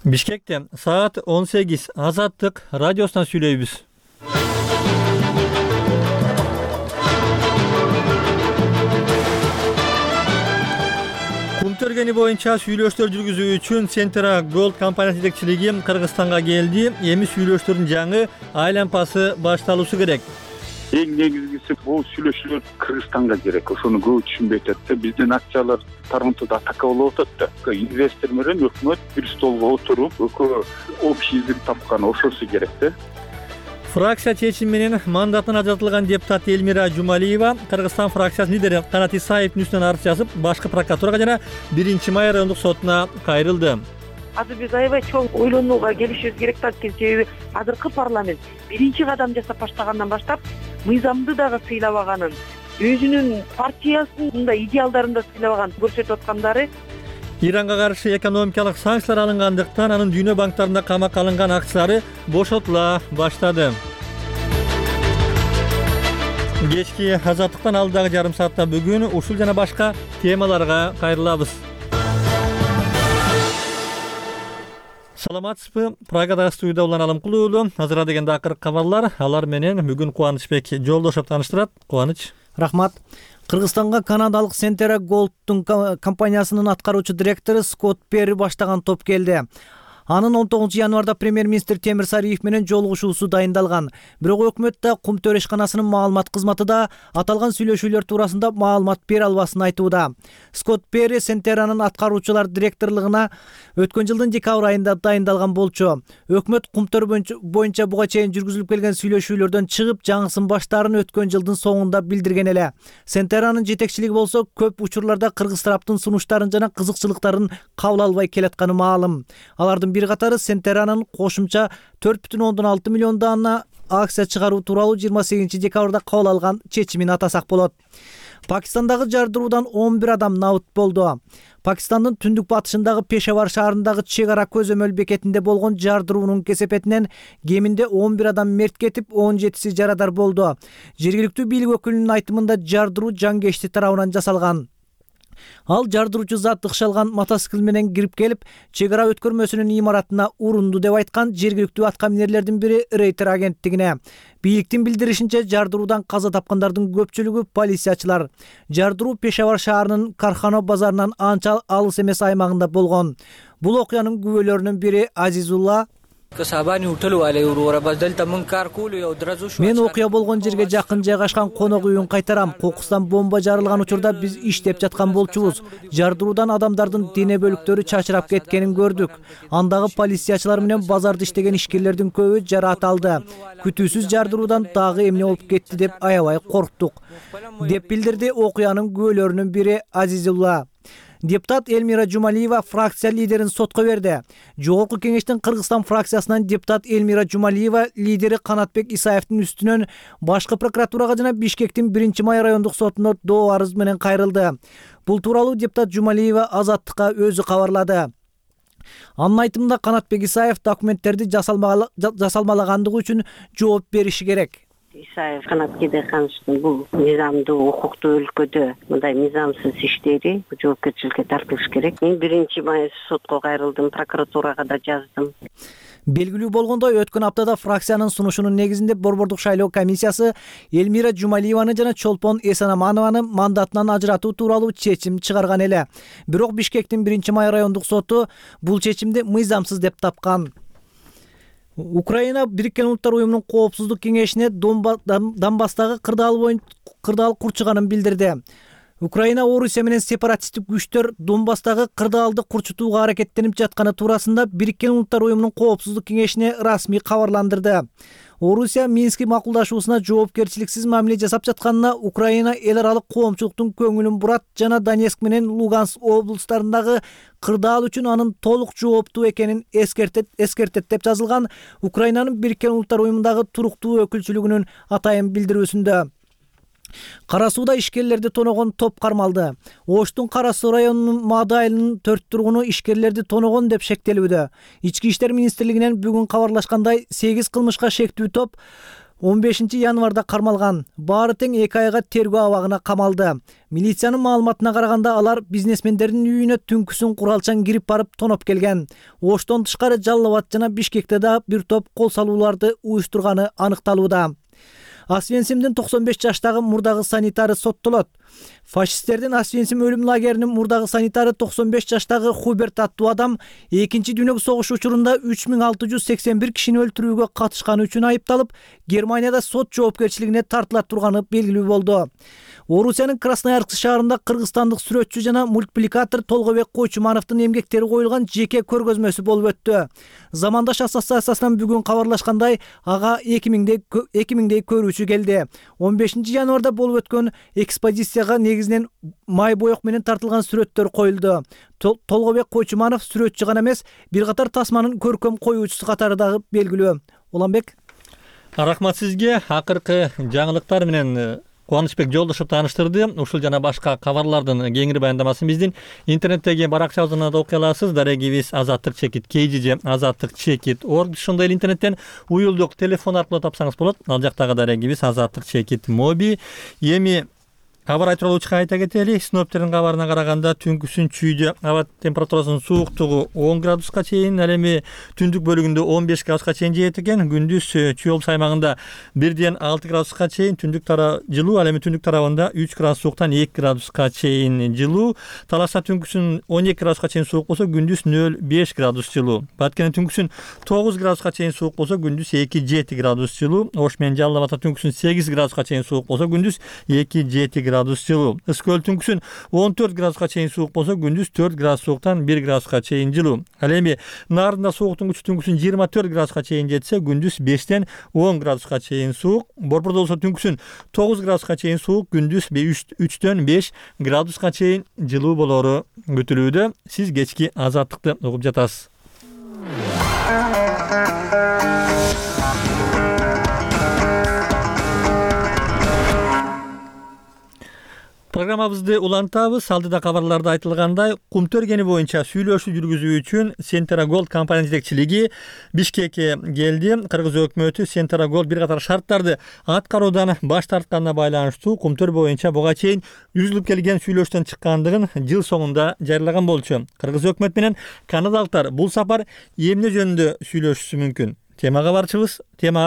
Бишкекте саат 18 Азаттык радиосунан сүйлөйбүз. Кум төргени боюнча сүйлөштөр жүргүзүү үчүн Centera Gold компаниясы жетекчилиги Кыргызстанга келди. Эми сүйлөштөрдүн жаңы айланпасы башталуусу керек. Эң негизгиси бул сүйлөшүүлөр Кыргызстанга керек. Ошону көп түшүнбөй атат да. Биздин акциялар Торонтодо атака болуп атат да. Инвестор менен өкмөт бир столго отуруп, общий язык тапкан ошосу керек да. Фракция чечими менен мандатынан ажыратылган депутат Элмира Жумалиева Кыргызстан фракциясынын лидери Канат Исаевдин үстүнөн арыз жазып, башкы прокуратурага жана 1-май райондук сотуна кайрылды. Азыр биз аябай чоң ойлонууга келишибиз керек да, себеби азыркы парламент биринчи кадам жасап баштагандан баштап мыйзамды дагы сыйлабаганын, өзүнүн партиясынын мындай идеалдарын да сыйлабаганын көрсөтүп аткандары. Иранга каршы экономикалык санкциялар алынгандыктан анын дүйнө банктарында камакка алынган акциялары бошотула баштады. Кечки Азаттыктан алдыдагы жарым саатта бүгүн ушул жана башка темаларга кайрылабыз. Саламатсызбы? Прагадагы студияда улан Алымкулуу уулу. Азыр дегенде акыркы кабарлар. Алар менен бүгүн Кубанычбек Жолдошов тааныштырат. Кубаныч. Рахмат. Кыргызстанга канадалык Centera Gold'тун компаниясынын аткаруучу директору Скотт Перри баштаган топ келди. Анын 19-январда премьер-министр Темир Сариев менен жолугушуусу дайындалган. Бирок өкмөт да Кум төрешканасынын маалымат кызматы да аталган сүйлөшүүлөр туурасында маалымат бере албасын айтууда. Скотт Перри Centera'нын аткаруучулар директорлугуна өткөн жылдын декабрь айында дайындалган болчу. Өкмөт Кумтөр боюнча буга чейин жүргүзүлүп келген сүйлөшүүлөрдөн чыгып, жаңысын баштаарын өткөн жылдын соңунда билдирген эле. Centera'нын жетекчилиги болсо көп учурларда кыргыз тараптын сунуштарын жана кызыкчылыктарын кабыл албай келатканы маалым. Алардын бир катары Centera'нын кошумча 4,6 миллион дана акция чыгаруу тууралуу 28 декабрда кабыл алган чечимин атасак болот. Пакистандагы жардыруудан 11 адам набыт болду. Пакистандын түндүк батышындагы Пешавар шаарындагы чек ара көзөмөл бекетинде болгон жардыруунун кесепетинен кеминде 11 адам мерт кетип, 17си жарадар болду. Жергиликтүү бийлик өкүлүнүн айтымында жардыруу жангечти тарабынан жасалган. Ал жардыруучу зат ыкшалган мотоцикл менен кирип келип, чек ара өткөрмөсүнүн имаратына урунду деп айткан жергиликтүү аткаминерлердин бири Рейтер агенттигине. Бийликтин билдиришинче, жардыруудан каза тапкандардын көпчүлүгү полициячылар. Жардыруу Пешавар шаарынын Кархано базарынан анча алыс эмес аймагында болгон. Бул окуянын күбөлөрүнүн бири Азизулла: Мен окуя болгон жерге жакын жайгашкан конок үйүн кайтарам. Кокустан бомба жарылган учурда биз иштеп жаткан болчубуз. Жардыруудан адамдардын дене бөлүктөрү чачырап кеткенин көрдүк. Андагы полициячылар менен базарда иштеген ишкерлердин көбү жараат алды. Күтүүсүз жардыруудан дагы эмне болуп кетти деп аябай корктук, деп билдирди окуянын күбөлөрүнүн бири Азизулла. Депутат Элмира Жумалиева фракция лидерин сотко берди. Жогорку кеңештин Кыргызстан фракциясынан депутат Элмира Жумалиева лидери Канатбек Исаевдин үстүнөн башкы прокуратурага жана Бишкектин 1-май райондук сотуна доо арыз менен кайрылды. Бул тууралуу депутат Жумалиева Азаттыкка өзү кабарлады. Анын айтымында Канатбек Исаев документтерди жасалмалагандыгы үчүн жооп бериши керек. Исаев Канатке Дехановичтин бул мыйзамдуу укуктуу өлкөдө мындай мыйзамсыз иштери жоопкерчиликке тартылыш керек. Мен 1-май сотко кайрылдым, прокуратурага да жаздым. Белгилүү болгондой, өткөн аптада фракциянын сунушунун негизинде Борбордук шайлоо комиссиясы Элмира Жумалиеваны жана Чолпон Эсенаманованы мандатынан ажыратуу тууралуу чечим чыгарган эле. Бирок Бишкектин 1-май райондук соту бул чечимди мыйзамсыз деп тапкан. Украина Бириккен Улуттар уюмунун коопсуздук кеңешине Донбасстагы кырдаал курчуганын билдирди. Украина Орусия менен сепаратисттик күчтөр Донбасстагы кырдаалды курчутууга аракеттенип жатканы туурасында Бириккен Улуттар уюмунун коопсуздук кеңешине расмий кабарландырды. Орусия Мински макулдашуусуна жоопкерчиликсиз мамиле жасап жатканына Украина эл аралык коомчулуктун көңүлүн бурат жана Донецк менен Луганск облустарындагы кырдаал үчүн анын толук жооптуу экенин эскертет деп жазылган Украинанын Бириккен Улуттар уюмундагы туруктуу өкүлчүлүгүнүн атайын билдирүүсүндө. Кара сууда ишкерлерди тоногон топ кармалды. Оштун Кара суу районунун Маады айылынын 4 тургуну ишкерлерди тоногон деп шектелүүдө. Ички иштер министрлигинен бүгүн кабарлашкандай 8 кылмышка шектүү топ 15-январда кармалган. Баары тең 2 айга тергөө абагына камалды. Милициянын маалыматына караганда алар бизнесмендердин үйүнө түнкүсүн куралчан кирип барып тоноп келген. Оштон тышкары Жалал Абад жана Бишкекте да бир топ кол салууларды уюштурганы аныкталууда. Освенцимдин 95 жаштагы мурдагы санитары соттолот. Фашисттердин Освенцим өлүм лагеринин мурдагы санитары 95 жаштагы Хуберт аттуу адам 2-дүйнөлүк согуш учурунда 3681 кишини өлтүрүүгө катышканы үчүн айыпталып, Германияда сот жоопкерчилигине тартыла турганы белгилүү болду. Орусиянын Красноярск шаарында кыргызстандык сүрөтчү жана мультипликатор Толгобек Койчумановдун эмгектери коюлган жеке көргөзмөсү болуп өттү. Замандаш ассоциациясынан бүгүн кабарлашкандай, ага 2000дей көрүүчү келди. 15-январда болуп өткөн экспозицияга негизинен май боек менен тартылган сүрөттөр коюлду. Толгобек Койчуманов сүрөтчү гана эмес, бир катар тасманын көркөм коюучусу катары дагы белгилүү. Уланбек. Рахмат сизге. Акыркы жаңылыктар менен Кубанычбек Жолдошев тааныштырды. Ушул жана башка кабарлардын кеңири баяндамасын биздин интернеттеги баракчабыздан да окуй аласыз. Дарегибиз azattik.kg, azattik.org. Ошондой эле интернеттен уюлдук телефон аркылуу тапсаңыз болот. Ал жактагы дарегибиз azattik.mobi. Эми кабар тууралуу айта кетели. Синоптиктердин кабарына караганда түнкүсүн чүйдө аба температурасынын сууктугу 10 градуска чейин, ал эми түндүк бөлүгүндө 15 градуска чейин жетет экен. Күндүз Чүй облус аймагында 1-6 градуска чейин түндүк жылуу, ал эми түндүк тарабында 3 градус сууктан 2 градуска чейин жылуу. Талашта түнкүсүн 12 градуска чейин суук болсо, күндүз 0-5 градус жылуу. Баткенде түнкүсүн 9 градуска чейин суук болсо, күндүз 2-7 градус жылуу. Ош менен Жалал Абадта түнкүсүн 8 градуска чейин суук болсо, күндүз 2-7 градус жылуу. Ысык көл түнкүсүн 14 градуска чейин суук болсо, күндүз 4 градус сууктан 1 градуска чейин жылуу. Ал эми Нарында сууктун күчү түнкүсүн 24 градуска чейин жетсе, күндүз 5-10 градуска чейин суук. Борбордо болсо түнкүсүн 9 градуска чейин суук, күндүз 3-5 градуска чейин жылуу болору күтүлүүдө. Сиз кечки азаттыкты угуп жатасыз. Программабызды улантабыз. Алдыда кабарларда айтылгандай, кум төргени боюнча сүйлөшүү жүргүзүү үчүн Centera Gold компания жетекчилиги Бишкекке келди. Кыргыз өкмөтү Centera Gold бир катар шарттарды аткаруудан баш тартканына байланыштуу кум төр боюнча буга чейин жүргүзүлүп келген сүйлөшүүдөн чыккандыгын жыл соңунда жарыялаган болчу. Кыргыз өкмөт менен канадалыктар бул сапар эмне жөнүндө сүйлөшүшү мүмкүн? Темага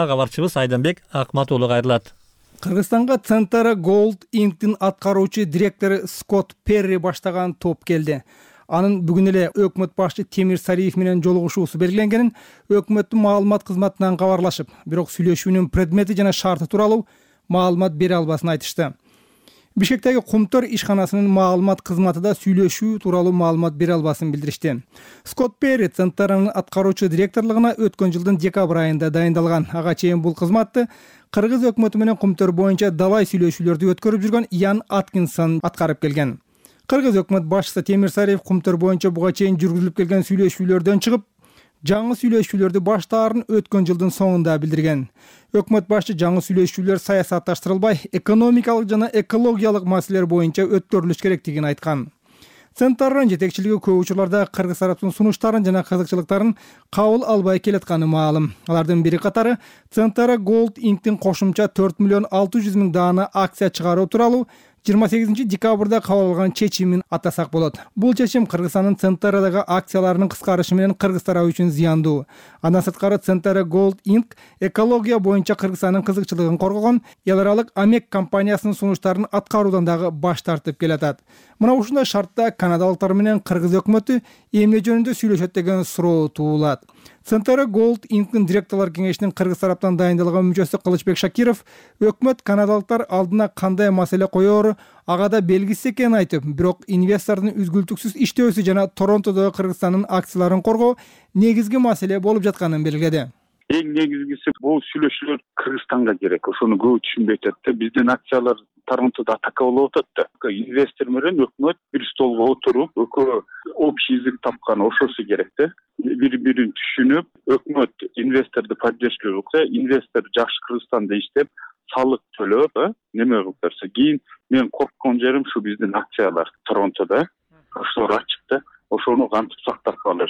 кабарчыбыз Айданбек Акмат уулу кайрылат. Кыргызстанга Centera Gold Inc.'тин аткаруучу директору Скотт Перри баштаган топ келди. Анын бүгүн эле өкмөт башчы Темир Сариев менен жолугушуусу белгиленгенин өкмөттүн маалымат кызматынан кабарлашып, бирок сүйлөшүүнүн предмети жана шарты тууралуу маалымат бере албасын айтышты. Бишкектеги Кумтөр ишканасынын маалымат кызматы да сүйлөшүү тууралуу маалымат бере албасын билдиришти. Скотт Перри Centera'нын аткаруучу директорлугуна өткөн жылдын декабрь айында дайындалган. Ага чейин бул кызматты Кыргыз өкмөтү менен Кумтөр боюнча далай сүйлөшүүлөрдү өткөрүп жүргөн Ян Аткинсон аткарып келген. Кыргыз өкмөт башчысы Темир Сариев Кумтөр боюнча буга чейин жүргүзүлүп келген сүйлөшүүлөрдөн чыгып, жаңы сүйлөшүүлөрдү баштаарын өткөн жылдын соңунда билдирген. Өкмөт башчы жаңы сүйлөшүүлөр саясатташтырылбай, экономикалык жана экологиялык маселелер боюнча өткөрүлүш керектигин айткан. Centera'нын жетекчилиги көп учурларда кыргыз тараптын сунуштарын жана кызыкчылыктарын кабыл албай келатканы маалым. Алардын бири катары Centera Gold Inc.'тин кошумча 4,600,000 даана акция чыгаруу тууралуу 28 декабрда кабыл алган чечимин атасак болот. Бул чечим Кыргызстандын Centera'дагы акцияларынын кыскарышы менен кыргыз тарабы үчүн зыяндуу. Андан сырткары Centera Gold Inc. экология боюнча Кыргызстандын кызыкчылыгын коргогон эл аралык Амек компаниясынын сунуштарын аткаруудан дагы баш тартып келатат. Мына ушундай шартта канадалыктар менен кыргыз өкмөтү эмне жөнүндө сүйлөшөт деген суроо туулат. Centera Gold Inc.'тин директорлор кеңешинин кыргыз тараптан дайындалган мүчөсү Кылычбек Шакиров өкмөт канадалыктар алдына кандай маселе коёру ага да белгисиз экенин айтып, бирок инвестордун үзгүлтүксүз иштөөсү жана Торонтодо Кыргызстандын акцияларын коргоо негизги маселе болуп жатканын белгиледи. Эң негизгиси бул сүйлөшүүлөр Кыргызстанга керек. Ошону көп түшүнбөй атат да. Биздин акциялар Торонтодо атака болуп атат да. Инвестор менен өкмөт бир столго отуруп, общий язык тапкан ошосу керек да. Бири-бирин түшүнүп, өкмөт инвесторду поддержка кылса, инвестор жакшы Кыргызстанда иштеп, салык төлөп, неме кылып берсе, кийин мен корккон жерим ушу биздин акциялар Торонтодо. Ошолор ачык да. Ошону кантип сактап калыш.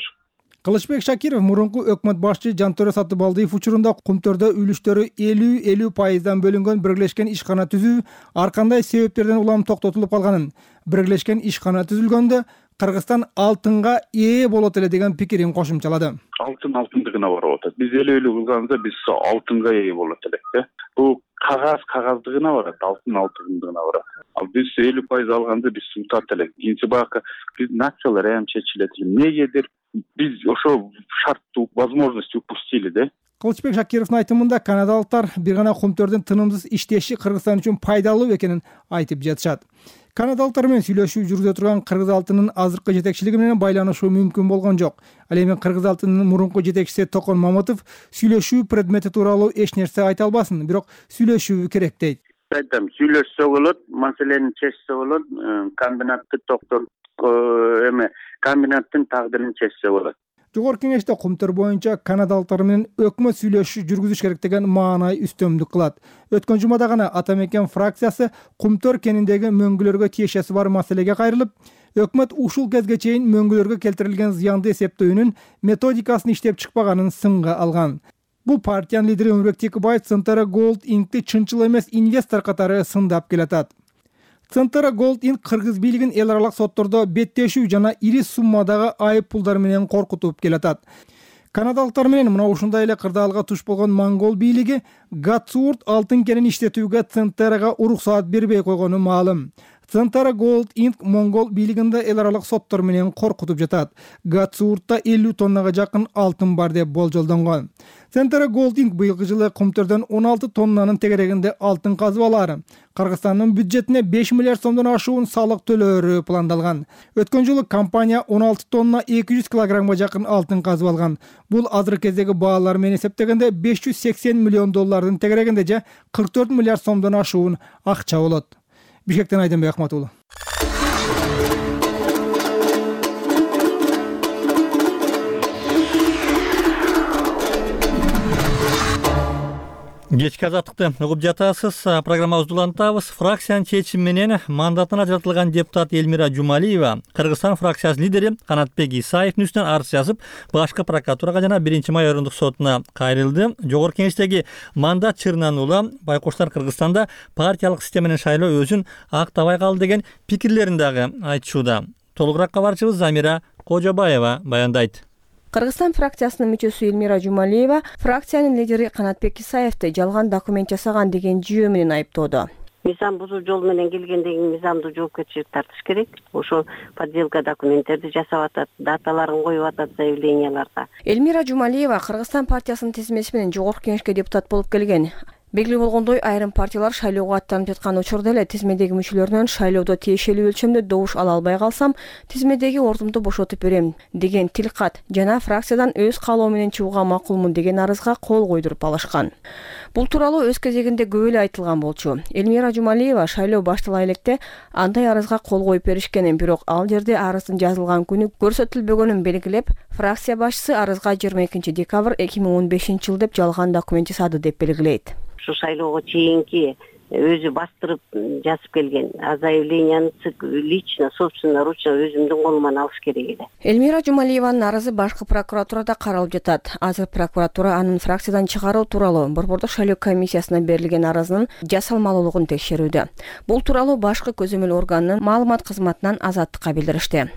Кылычбек Шакиров мурунку өкмөт башчы Жантөре Сатыбалдиев учурунда Кумтөрдө үлүштөрү 50-50% бөлүнгөн биргелешкен ишкана түзүү ар кандай себептерден улам токтотулуп калганын, биргелешкен ишкана түзүлгөндө Кыргызстан алтынга ээ болот эле деген пикирин кошумчалады. Алтындыгына барып атат. Биз эле кылганда биз алтынга ээ болот элек. Бул кагаздыгына барат, алтындыгына барат. Ал биз 50% алганда биз утат элек. Кийинчи бака биздин акциялар эми чечилет. Эмнегедир биз ошо шарттуу возможность упустили да. Кылычбек Шакировдун айтымында канадалыктар бир гана Кумтөрдүн тынымсыз иштеши Кыргызстан үчүн пайдалуу экенин айтып жатышат. Канадалыктар менен сүйлөшүү жүргүзө турган Кыргыз алтынынын азыркы жетекчилиги менен байланышуу мүмкүн болгон жок. Ал эми Кыргыз алтынынын мурунку жетекчиси Токон Мамытов сүйлөшүү предмети тууралуу эч нерсе айта албасын, бирок сүйлөшүү керек дейт. Айтам, сүйлөшсө болот, маселени чечсе болот, комбинатты комбинаттын тагдырын чечсе болот. Жогорку кеңеште Кумтөр боюнча канадалыктар менен өкмөт сүйлөшүү жүргүзүш керек деген маанай үстөмдүк кылат. Өткөн жумада гана Ата Мекен фракциясы Кумтөр кениндеги мөңгүлөргө тиешеси бар маселеге кайрылып, өкмөт ушул кезге чейин мөңгүлөргө келтирилген зыянды эсептөөнүн методикасын иштеп чыкпаганын сынга алган. Бул партиянын лидери Өмүрбек Текебаев Центара Gold Inc.ти чынчыл эмес инвестор катары сындап келатат. Центара Gold Inc. Кыргыз бийлигин эл аралык соттордо беттешүү жана ири суммадагы айып пулдар менен коркутуп келатат. Канадалыктар менен мына ушундай эле кырдаалга туш болгон Монгол бийлиги Гатсуурт алтын кенин иштетүүгө Центарага уруксаат бербей койгону маалым. Центара Gold Inc. Монгол бийлигинде эл аралык соттор менен коркутуп жатат. Гатсууртта 50 тоннага жакын алтын бар деп болжолдонгон. Центара Gold Inc. быйылкы жылы Кумтөрдөн 16 тоннанын тегерегинде алтын казып алаары, Кыргызстандын бюджетине 5 миллиард сомдон ашуун салык төлөөрү пландалган. Өткөн жылы компания 16 тонна 200 килограммга жакын алтын казып алган. Бул азыркы кездеги баалар менен эсептегенде 580 миллион доллардын тегерегинде же 44 миллиард сомдон ашуун акча болот. Бишкектен Айденбек Ахматулы. Кечки азаттыкты угуп жатасыз. Программабызды улантабыз. Фракциянын чечими менен мандатына ажыратылган депутат Элмира Жумалиева Кыргызстан фракциясынын лидери Канатбек Исаевдин үстүнөн арыз жазып, башкы прокуратурага жана 1-май орындук сотуна кайрылды. Жогорку кеңештеги мандат чырынан улам байкоштор Кыргызстанда партиялык система менен шайлоо өзүн актабай калды деген пикирлерин дагы айтышууда. Толугураак кабарчыбыз Замира Кожобаева баяндайт. Кыргызстан фракциясынын мүчөсү Элмира Жумалиева фракциянын лидери Канатбек Исаевди жалган документ жасаган деген жүйө менен айыптоодо. Мыйзам бузуу жол менен келгендеги мыйзамдуу жоопкерчилик тартыш керек. Ошо подделка документтерди жасап атат, даталарын коюп атат заявленияларга. Элмира Жумалиева Кыргызстан партиясынын тизмеси менен жогорку кеңешке депутат болуп келген. Белгилүү болгондой, айрым партиялар шайлоого аттанып жаткан учурда эле тизмедеги мүчөлөрүнөн шайлоодо тиешелүү өлчөмдө добуш ала албай калсам, тизмедеги ордумду бошотуп берем деген тилкат жана фракциядан өз каалоо менен чыгууга макулмун деген арызга кол койдуруп алышкан. Бул тууралуу өз кезегинде көп эле айтылган болчу. Элмира Жумалиева шайлоо баштала электе андай арызга кол коюп беришкенин, бирок ал жерде арыздын жазылган күнү көрсөтүлбөгөнүн белгилеп, фракция башчысы арызга 22 декабрь 2015 жыл деп жалган документ жасады деп белгилейт. Ушу шайлоого чейинки өзү бастырып жазып келген заявленияны лично, собственно, ручно өзүмдүн колуман алыш керек эле. Элмира Жумалиеванын арызы башкы прокуратурада каралып жатат. Азыр прокуратура анын фракциядан чыгаруу тууралуу Борбордук шайлоо комиссиясына берилген арызынын жасалмалуулугун текшерүүдө. Бул тууралуу башкы көзөмөл органынын маалымат кызматынан Азаттыкка билдиришти.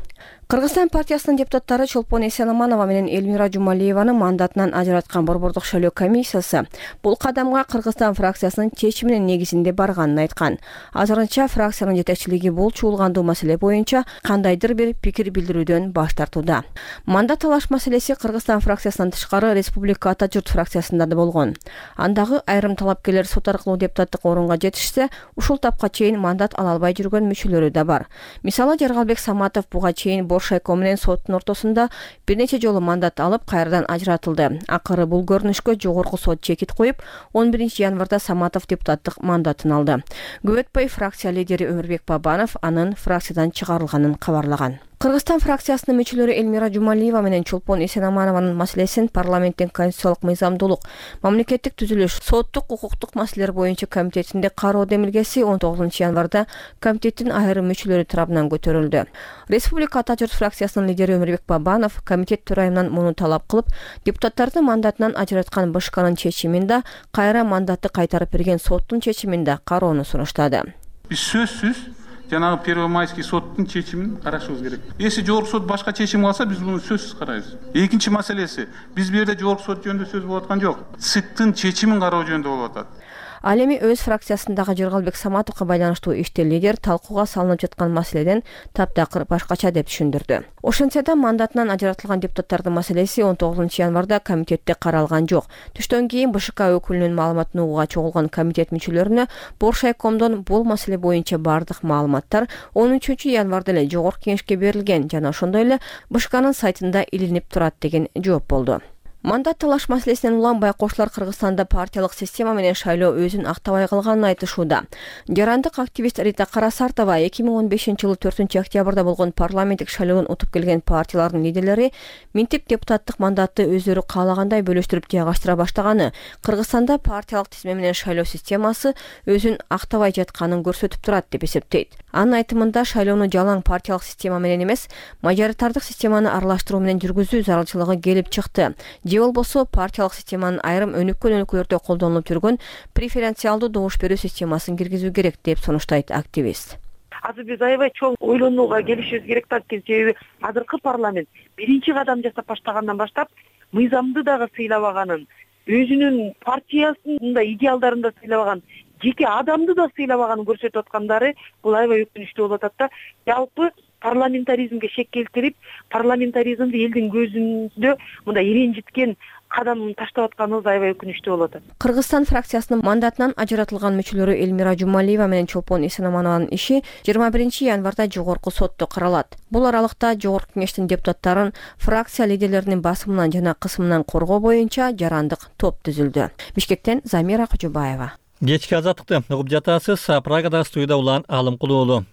Кыргызстан партиясынын депутаттары Чолпон Эсенаманова менен Элмира Жумалиеваны мандатынан ажыраткан Борбордук шайлоо комиссиясы бул кадамга Кыргызстан фракциясынын чечиминин негизинде барганын айткан. Азырынча фракциянын жетекчилиги бул чуулгандуу маселе боюнча кандайдыр бир пикир билдирүүдөн баш тартууда. Мандат алыш маселеси Кыргызстан фракциясынан тышкары Республика Ата журт фракциясында да болгон. Андагы айрым талапкерлер сот аркылуу депутаттык орунга жетишсе, ушул тапка чейин мандат ала албай жүргөн мүчөлөрү да бар. Мисалы Жаргалбек Саматов буга чейин Боршайко менен соттун ортосунда бир нече жолу мандат алып, кайрадан ажыратылды. Акыры бул көрүнүшкө жогорку сот чекит коюп, 11 январда Саматов депутаттык мандатын алды. Көп өтпөй фракция лидери Өмүрбек Бабанов анын фракциядан чыгарылганын кабарлаган. Кыргызстан фракциясынын мүчөлөрү Элмира Жумалиева менен Чолпон Эсенаманованын маселесин парламенттин конституциялык мыйзамдуулук, мамлекеттик түзүлүш, соттук укуктук маселелер боюнча комитетинде кароо демилгеси 19 январда комитеттин айрым мүчөлөрү тарабынан көтөрүлдү. Республика Ата журт фракциясынын лидери Өмүрбек Бабанов комитет төрайымынан муну талап кылып, депутаттарды мандатынан ажыраткан БШКнын чечимин да, кайра мандатты кайтарып берген соттун чечимин да кароону сунуштады. Биз сөзсүз жанагы Первомайский соттун чечимин карашыбыз керек. Эси жогорку сот башка чечим алса, биз муну сөзсүз карайбыз. Экинчи маселеси, биз бу жерде жогорку сот жөнүндө сөз болуп аткан жок. ЦИКтын чечимин кароо жөнүндө болуп атат. Ал эми өз фракциясындагы Жыргалбек Саматовго байланыштуу иште лидер талкууга салынып жаткан маселеден таптакыр башкача деп түшүндүрдү. Ошентсе да мандатынан ажыратылган депутаттардын маселеси 19 январда комитетте каралган жок. Түштөн кийин БШК өкүлүнүн маалыматын угууга чогулган комитет мүчөлөрүнө Боршайкомдон бул маселе боюнча бардык маалыматтар 13 январда эле жогорку кеңешке берилген жана ошондой эле БШКнын сайтында илинип турат деген жооп болду. Мандат талаш маселесинен улам байкоочулар Кыргызстанда партиялык система менен шайлоо өзүн актабай калганын айтышууда. Жарандык активист Рита Карасартова 2015-жылы 4-октябрда болгон парламенттик шайлоодон утуп келген партиялардын лидерлери минтип депутаттык мандатты өздөрү каалагандай бөлүштүрүп жайгаштыра баштаганы Кыргызстанда партиялык тизме менен шайлоо системасы өзүн актабай жатканын көрсөтүп турат деп эсептейт. Анын айтымында шайлоону жалаң партиялык система менен эмес, мажоритардык системаны аралаштыруу менен жүргүзүү зарылчылыгы келип чыкты. Же болбосо партиялык системанын айрым өнүккөн өлкөлөрдө колдонулуп жүргөн преференциалдуу добуш берүү системасын киргизүү керек деп сунуштайт активист. Азыр биз аябай чоң ойлонууга келишибиз керек да, себеби азыркы парламент биринчи кадам жасап баштагандан баштап мыйзамды дагы сыйлабаганын, өзүнүн партиясын да идеалдарын да сыйлабаган, жеке адамды да сыйлабаганын көрсөтүп аткандары бул аябай өкүнүчтүү болуп атат да. Жалпы парламентаризмге шек келтирип, парламентаризмди элдин көзүндө мындай иренжиткен кадамын таштап атканыбыз аябай өкүнүчтүү болуп атат. Кыргызстан фракциясынын мандатынан ажыратылган мүчөлөрү Элмира Жумалиева менен Чолпон Эсенаманованын иши 21 январда жогорку сотто каралат. Бул аралыкта жогорку кеңештин депутаттарын фракция лидерлеринин басымынан жана кысымынан коргоо боюнча жарандык топ түзүлдү. Бишкектен Замира Кожобаева. Кечки азаттыкты угуп жатасыз. Прагада студияда Улан Алымкулуулу.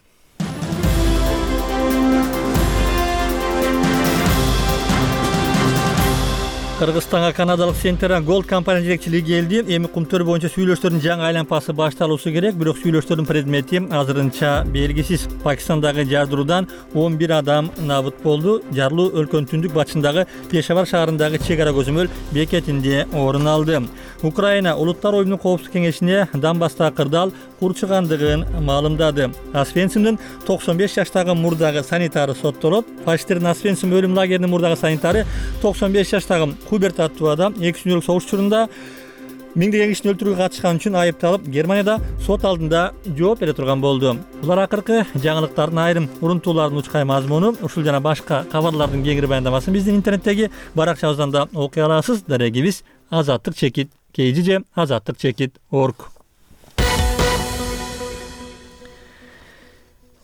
Кыргызстанга канадалык Centera Gold компания жетекчилиги келди. Эми кумтөр боюнча сүйлөштөрдүн жаңы айланпасы башталуусу керек, бирок сүйлөштөрдүн предмети азырынча белгисиз. Пакистандагы жардыруудан 11 адам набыт болду. Жарылуу өлкөнүн түндүк батышындагы Пешавар шаарындагы чек ара көзөмөл бекетинде орун алды. Украина Улуттар оюмунун коопсуздук кеңешине Донбасстагы кырдаал курчугандыгын маалымдады. Освенцимдин 95 жаштагы мурдагы санитары соттолот. Фашисттердин Освенцим өлүм лагеринин мурдагы санитары 95 жаштагы Хуберт аттуу адам 2 күнлүк согуш учурунда миңдеген кишини өлтүрүүгө катышкан үчүн айыпталып, Германияда сот алдында жооп бере турган болду. Булар акыркы жаңылыктардын айрым урунтуулардын учкай мазмуну. Ушул жана башка кабарлардын кеңири баяндамасын биздин интернеттеги баракчабыздан да окуй аласыз. Дарегибиз Азаттык чекит KGJ azattık.org.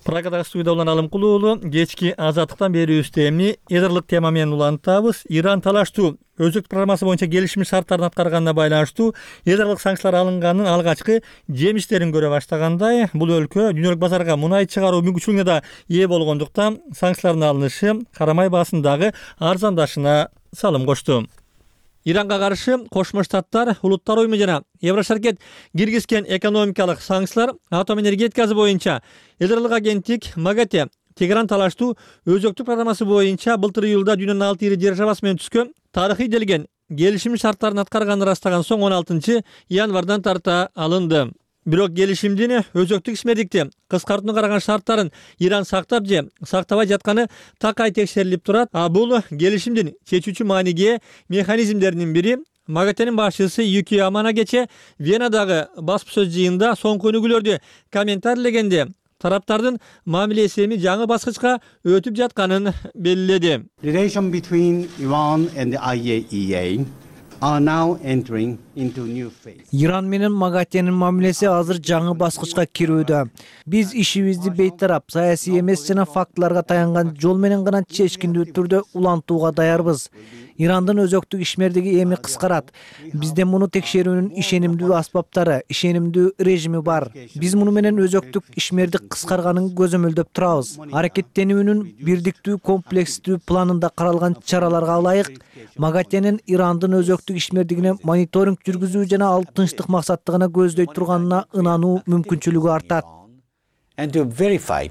Прагадагы студияда Улан Алымкулуулу. Кечки азаттыктан берүүбүздө эми эдерлик тема менен улантабыз. Иран талаштуу өзөк программасы боюнча келишим шарттарын аткарганына байланыштуу эдерлик санкциялар алынганын алгачкы жемиштерин көрө баштагандай, бул өлкө дүйнөлүк базарга мунай чыгаруу мүмкүнчүлүгүнө да ээ болгондуктан санкциялардын алынышы карамай баасындагы арзандашына салым кошту. Иранга каршы Кошмо Штаттар, Улуттар оюму жана Еврошаркет киргизген экономикалык санкциялар атом энергетикасы боюнча эдерлик агенттик МАГАТЭ Тегеран талаштуу өзөктүк программасы боюнча былтыр июлда дүйнөнүн 6 ири державасы менен түзгөн тарыхый делген келишим шарттарын аткарганын ырастаган соң 16 январдан тарта алынды. Бирок келишимдин өзөктүк ишмердикти кыскартууну караган шарттарын Иран сактап же сактабай жатканы такай текшерилип турат. А бул келишимдин чечүүчү мааниге механизмдеринин бири. МАГАТЭнин башчысы Юки Амана кече Венадагы басма сөз жыйынында соңку өнүгүүлөрдү комментарийлегенде тараптардын мамилеси эми жаңы баскычка өтүп жатканын белгиледи. Relation between Iran and the IAEA are now entering into new phase. Иран менен МАГАТЭнин мамилеси азыр жаңы баскычка кирүүдө. Биз ишибизди бейтарап, саясий эмес жана фактыларга таянган жол менен гана чечкиндүү түрдө улантууга даярбыз. Ирандын өзөктүк ишмердиги эми кыскарат. Бизде муну текшерүүнүн ишенимдүү аспаптары, ишенимдүү режими бар. Биз муну менен өзөктүк ишмердик кыскарганын көзөмөлдөп турабыз. Аракеттенүүнүн бирдиктүү комплекстүү планында каралган чараларга ылайык МАГАТЭнин Ирандын өзөктүк ишмердигине мониторинг жүргүзүү жана ал тынчтык максаттыгына көздөй турганына ынануу мүмкүнчүлүгү артат. And to verify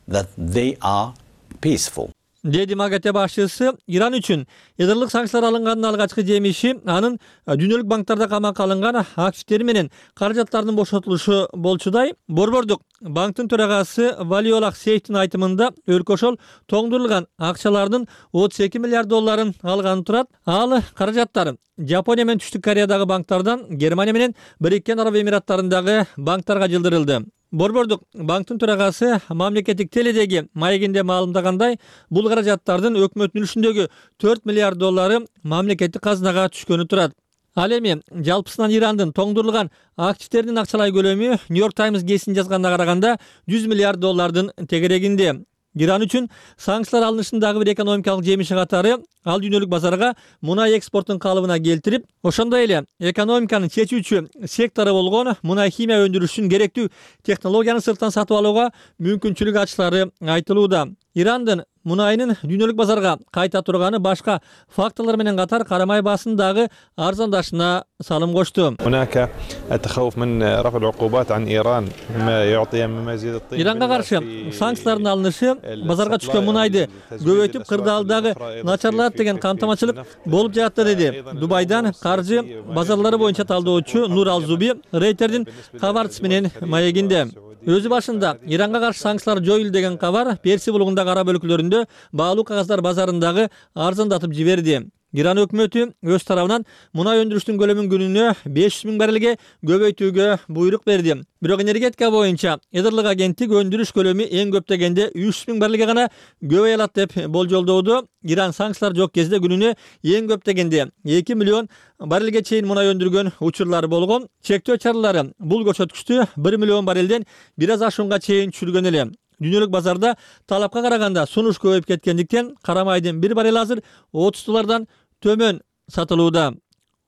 that they are peaceful. Деди МАГАТЭ башчысы. Иран үчүн ядырлык санкциялар алынганын алгачкы жемиши анын дүйнөлүк банктарда камакка алынган активдери менен каражаттардын бошотулушу болчудай. Борбордук банктын төрагасы Валиолах Сейфтин айтымында өлкө ошол тоңдурулган акчалардын 32 миллиард долларын алганы турат. Ал каражаттар Жапония менен Түштүк Кореядагы банктардан Германия менен Бириккен Араб Эмираттарындагы банктарга жылдырылды. Борбордук банктын төрагасы мамлекеттик теледеги маегинде маалымдагандай, бул каражаттардын өкмөттүн үлүшүндөгү 4 миллиард доллары мамлекеттик казынага түшкөнү турат. Ал эми жалпысынан Ирандын тоңдурулган активдеринин акчалай көлөмү New York Times гезитинин жазганына караганда 100 миллиард доллардын тегерегинде. Иран үчүн санкциялар алынышындагы бир экономикалык жемиши катары ал дүйнөлүк базарга мунай экспортун калыбына келтирип, ошондой эле экономиканын чечүүчү сектору болгон мунай химия өндүрүшүн керектүү технологияны сырттан сатып алууга мүмкүнчүлүк ачылары айтылууда. Ирандын мунайынын дүйнөлүк базарга кайта турганы башка факторлор менен катар карамай басындагы арзандашына салым кошту. هناك التخوف من رفع العقوبات عن إيران ما يعطي من مزيد الطين. Иранга каршы санкциялардын алынышы базарга түшкөн мунайды көбөйтүп кырдаалдагы начарлат деген камтамачылык болуп жатты деди. Дубайдан каржы базарлары боюнча талдоочу Нур Алзуби Рейтердин кабарчысы менен маегинде. Өзү башында Иранга каршы санкциялар жоюлду деген кабар Персия булугундагы араб өлкөлөрүндө баалуу кагаздар базарындагы арзандатып жиберди. Иран өкмөтү өз тарабынан мунай өндүрүштүн көлөмүн күнүнө 500 000 баррелге көбөйтүүгө буйрук берди. Бирок энергетика боюнча Эдерлик агенттик өндүрүш көлөмү эң көп дегенде 300 000 баррелге гана көбөйө алат деп болжолдоодо. Иран санкциялар жок кезде күнүнө эң көп дегенде 2 миллион баррелге чейин мунай өндүргөн учурлары болгон. Чектөө чаралары бул көрсөткүчтү 1 миллион баррелден бир аз ашуунга чейин түшүргөн эле. Дүйнөлүк базарда талапка караганда сунуш көбөйүп кеткендиктен карамайдын 1 баррел азыр 30 доллардан төмөн сатылууда.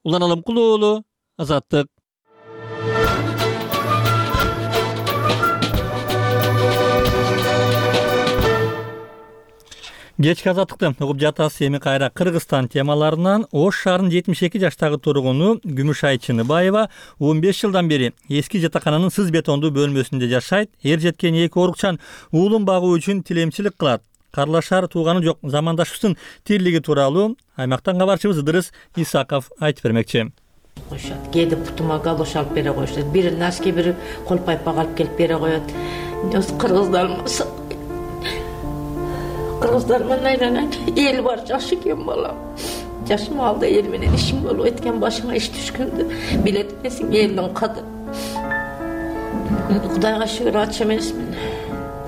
Улан Алымкул уулу, Азаттык. Кечки Азаттыкты угуп жатасыз. Эми кайра Кыргызстан темаларынан Ош шаарынын 72 жаштагы тургуну Күмүшай Чыныбаева 15 жылдан бери эски жатакананын сыз бетондуу бөлмөсүндө жашайт. Эр жеткен 2 орукчан уулун багуу үчүн тилемчилик кылат. Карлашаар тууганы жок замандашыбыздын тирлиги тууралуу аймактан кабарчыбыз Ыдырыс Исаков айтып бермекчи. Коюшат. Кээде путума галош алып бере коюшат. Бири носки, бири кол пайпак алып келип бере коет. Кыргыздар менен айланат. Эл бар, жаш экен балам. Жашым алда эл менен ишим болуп эткен, башыңа иш түшкөндө билет эмесиң элдин кадыр. Кудайга шүгүр ачы эмесмин.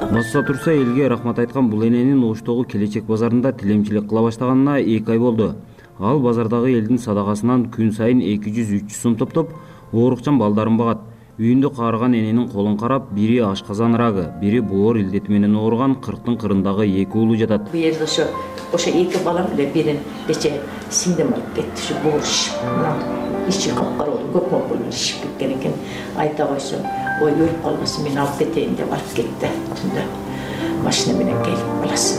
Басса турса элге рахмат айткан бул эненин Оштогу Келечек базарында тилемчилик кыла баштаганына 2 ай болду. Ал базардагы элдин садагасынан күн сайын 200-300 сом топтоп, оорукчан балдарын багат. Үйүндө каарыган эненин колун карап, бири ашказан рагы, бири боор илдети менен ооруган 40-тын кырындагы 2 уулу жатат. Бу жерде ошо 2 балам эле бирин кече сиңдим алып кетти, ушу боорушуп. Ичи капкара болуп, көк мокул ишип кеткен экен. Айта койсо, ой өлүп калбасын, мен алып кетейин деп алып кетти. Түндө машина менен келип баласын.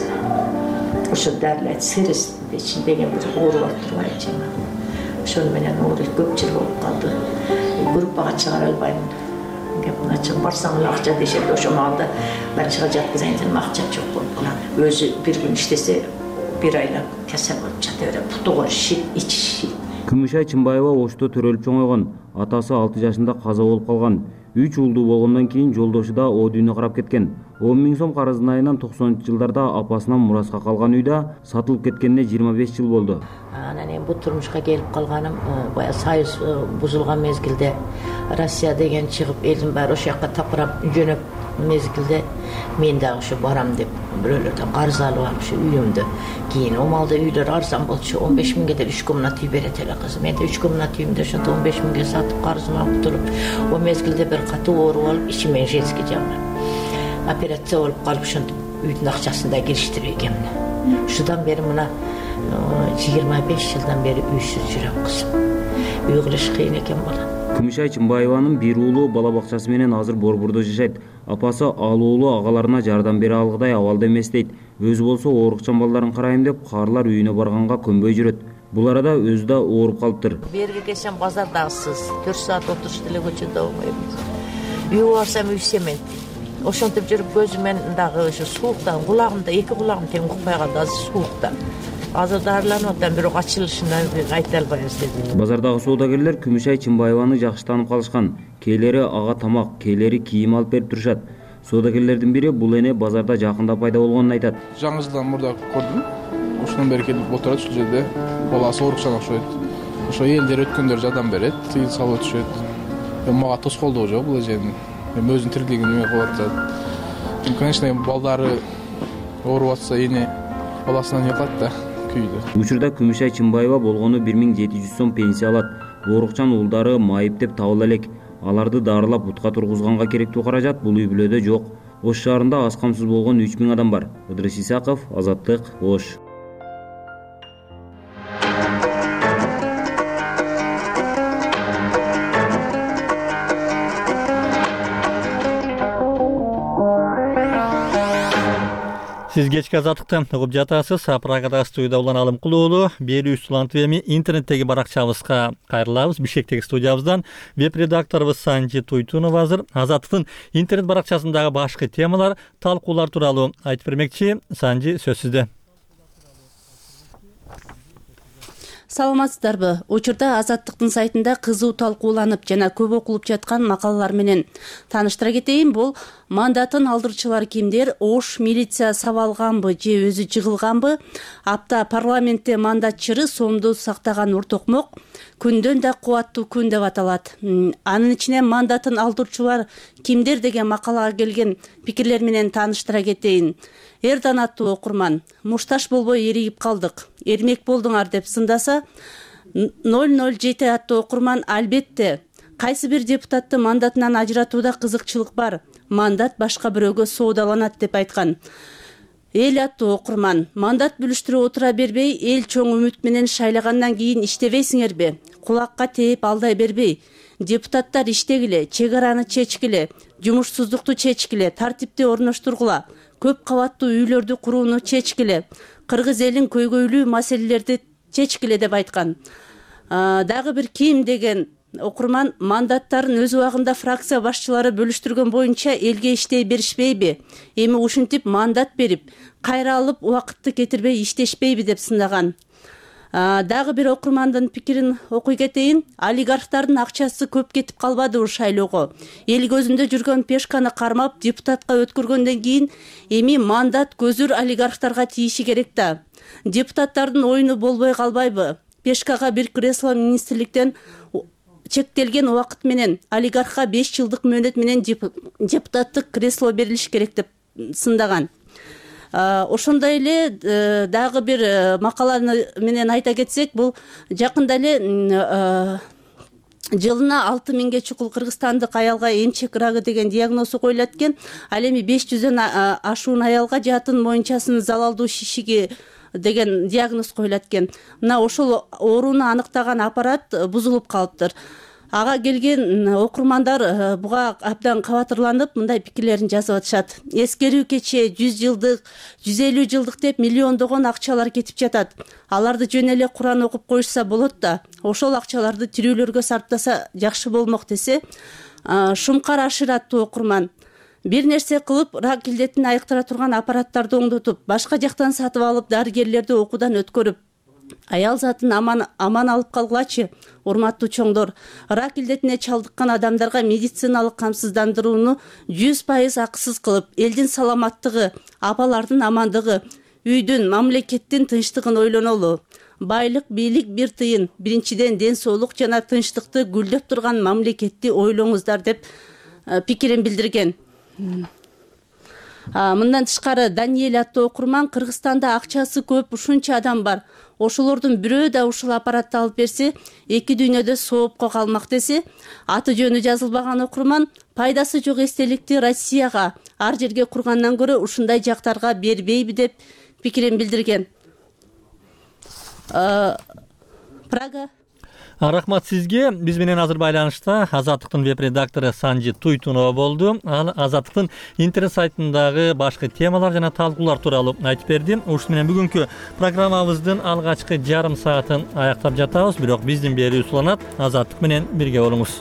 Ошо дарлайт сырыс деген бир ооруп турган жана. Ошону менен ооруп көп жыл болуп калды. Группага чыгара албайм. Кепна чыгып барсаң эле акча дешет, ошо маалда мен чыга жаткызайын десем акча жок болуп калат. Өзү бир күн иштесе, бир айлап кесел болуп жата берет. Путугу шит, ичи шит. Күмүшай Чынбаева Ошто төрөлүп чоңойгон. Атасы 6 жашында каза болуп калган. 3 уулдуу болгондон кийин жолдошу да о дүйнө карап кеткен. 10 000 сом карыздын айынан 90-жылдарда апасынан мураска калган үйдө сатылып кеткенине 25 жыл болду. Анан эми бу турмушка келип калганым бая союз бузулган мезгилде Россия деген чыгып элдин баары ошол жака тапырап жөнөп мезгилде мен дагы ушу барам деп бирөөлөрдөн карыз алып алып ушу үйүмдө кийин омалда үйлөр арзан болчу 15 миңге деле 3 комната үй берет эле кыз. Мен да 3 комната үйүмдө ошонто 15 миңге сатып карызымды алып туруп, о мезгилде бир катуу ооруп алып ичимен женский жагынан операция болуп калып ошентип үйдүн акчасын да кириштирип экенмин. Ушудан бери мына 25 жылдан бери үйсүз жүрөм кызым. Үй кылыш кыйын экен балам. Күмүшай Чымбаеванын бир уулу бала бакчасы менен азыр Борбордо жашайт. Апасы ал уулу агаларына жардам бере алгыдай абалда эмес дейт. Өзү болсо оорукчан балдарын карайм деп каарылар үйүнө барганга көнбөй жүрөт. Бул арада өзү да ооруп калыптыр. Берге келсем базардагысыз 4 саат отуруш деле көчөдө болмойбуз. Үйгө барсам үй семент. Ошентип жүрүп көзүмен дагы ошо сууктан кулагымда 2 кулагым тең укпай калды, азыр сууктан. Азыр дарыланып атам, бирок ачылышынан айта албайбыз деди. Базардагы соодагерлер Күмүшай Чымбаеваны жакшы таанып калышкан. Кээлери ага тамак, кээлери кийим алып берип турушат. Соодагерлердин бири бул эне базарда жакында пайда болгонун айтат. Жаңы жылдан мурда көрдүм. Ошондон бери келип отурат ушул жерде. Баласы оорукчан окшойт. Ошо элдер өткөндөр жардам берет, тыйын салып өтүшөт. Мага тоскоолдугу жок бул эженин. Өзүнүн тирилигин эме кылып атат. Конечно, балдары ооруп атса эне баласынан ыкат да. Учурда Күмүшай Чымбаева болгону 1700 сом пенсия алат. Оорукчан уулдары майып деп табыла элек. Аларды дарылап бутка тургузганга керектүү каражат бул үй бүлөдө жок. Ош шаарында аз камсыз болгон 3000 адам бар. Ыдырыс Исаков, Азаттык, Ош. Сиз кечки Азаттыкты угуп жатасыз. Прагада студияда улан Алымкул уулу. Берүүбүз улантып эми интернеттеги баракчабызга кайрылабыз. Бишкектеги студиябыздан веб-редакторубуз Санжи Туйтунова азыр Азаттыктын интернет баракчасындагы башкы темалар, талкуулар тууралуу айтып бермекчи. Санжи, сөз сизде. Саламатсыздарбы? Учурда Азаттыктын сайтында кызуу талкууланып жана көп окулуп жаткан макалалар менен тааныштыра кетейин. Бул мандатын алдырчылар кимдер? Ош милиция сабалганбы же өзү жыгылганбы? Апта парламентте мандатчыры сомду сактаган Уртокмок күндөн да кубаттуу күн деп аталат. Анын ичинен мандатын алдырчылар кимдер деген макалага келген пикирлер менен тааныштыра кетейин. Эрдан аттуу окурман: мушташ болбой эригип калдык, эрмек болдуңар деп сындаса, 007 аттуу окурман: албетте, кайсы бир депутатты мандатынан ажыратууда кызыкчылык бар, мандат башка бирөөгө соодаланат деп айткан. Эл аттуу окурман: мандат бүлүштүрүп отура бербей, эл чоң үмүт менен шайлагандан кийин иштебейсиңерби? Кулакка тээп алдай бербей. Депутаттар иштегиле, чек араны чечкиле, жумушсуздукту чечкиле, тартипти орноштургула, көп кабаттуу үйлөрдү курууну чечкиле, кыргыз элин көйгөйлүү маселелерди чечкиле деп айткан. Дагы бир ким деген окурман: мандаттарын өз убагында фракция башчылары бөлүштүргөн боюнча элге иштей беришпейби? Эми ушинтип мандат берип, кайра алып убакытты кетирбей иштешпейби деп сындаган. Дагы бир окурмандын пикирин окуй кетейин. Олигархтардын акчасы көп кетип калбадыбы шайлоого? Эл көзүндө жүргөн Пешканы кармап депутатка өткөргөндөн кийин эми мандат көзүр олигархтарга тийиши керек да. Депутаттардын оюну болбой калбайбы? Пешкага бир кресло министрликтен чектелген убакыт менен олигархка 5 жылдык мөөнөт менен депутаттык кресло берилиш керек деп сындаган. Ошондой эле дагы бир макаланы менен айта кетсек, бул жакында эле жылына 6000 чукул кыргызстандык аялга эмчек рагы деген диагнозу коюлат экен. Ал эми 500дөн ашуун аялга жатын моюнчасынын залалдуу шишиги деген диагноз коюлат экен. Мына ошол ооруну аныктаган аппарат бузулуп калыптыр. Ага келген окурмандар буга абдан кабатырланып, мындай пикирлерин жазып атышат. Эскерүү кече 100 жылдык, 150 жылдык деп миллиондогон акчалар кетип жатат. Аларды жөн эле Куран окуп коюшса болот да, ошол акчаларды тирүүлөргө сарптаса жакшы болмок десе. Шумкар Ашир аттуу окурман: бир нерсе кылып, рак илдетин айыктыра турган аппараттарды оңдотуп, башка жактан сатып алып, дарыгерлерди окуудан өткөрүп, аял затын аман алып калгылачы. Урматтуу чоңдор, рак илдетине чалдыккан адамдарга медициналык камсыздандырууну 100% акысыз кылып, элдин саламаттыгы, апалардын амандыгы, үйдүн, мамлекеттин тынчтыгын ойлонолу. Байлык, бийлик бир тыйын. Биринчиден ден соолук жана тынчтыкты гүлдөп турган мамлекетти ойлоңуздар деп пикирин билдирген. Мындан тышкары Даниэль аттуу окурман Кыргызстанда акчасы көп ушунча адам бар. Ошолордун бирөө да ушул аппаратты алып берсе, эки дүйнөдө соопко калмак десе, аты жөнү жазылбаган окурман пайдасы жок эстеликти Россияга, ар жерге кургандан көрө ушундай жактарга бербейби деп пикирин билдирген. Прага. Рахмат сизге. Биз менен азыр байланышта Азаттыктын веб-редактору Санжи Туйтунова болду. Ал Азаттыктын интернет сайтындагы башкы темалар жана талкуулар тууралуу айтып берди. Ушун менен бүгүнкү программабыздын алгачкы жарым саатын аяктап жатабыз, бирок биздин берүүбүз уланат. Азаттык менен бирге болуңуз.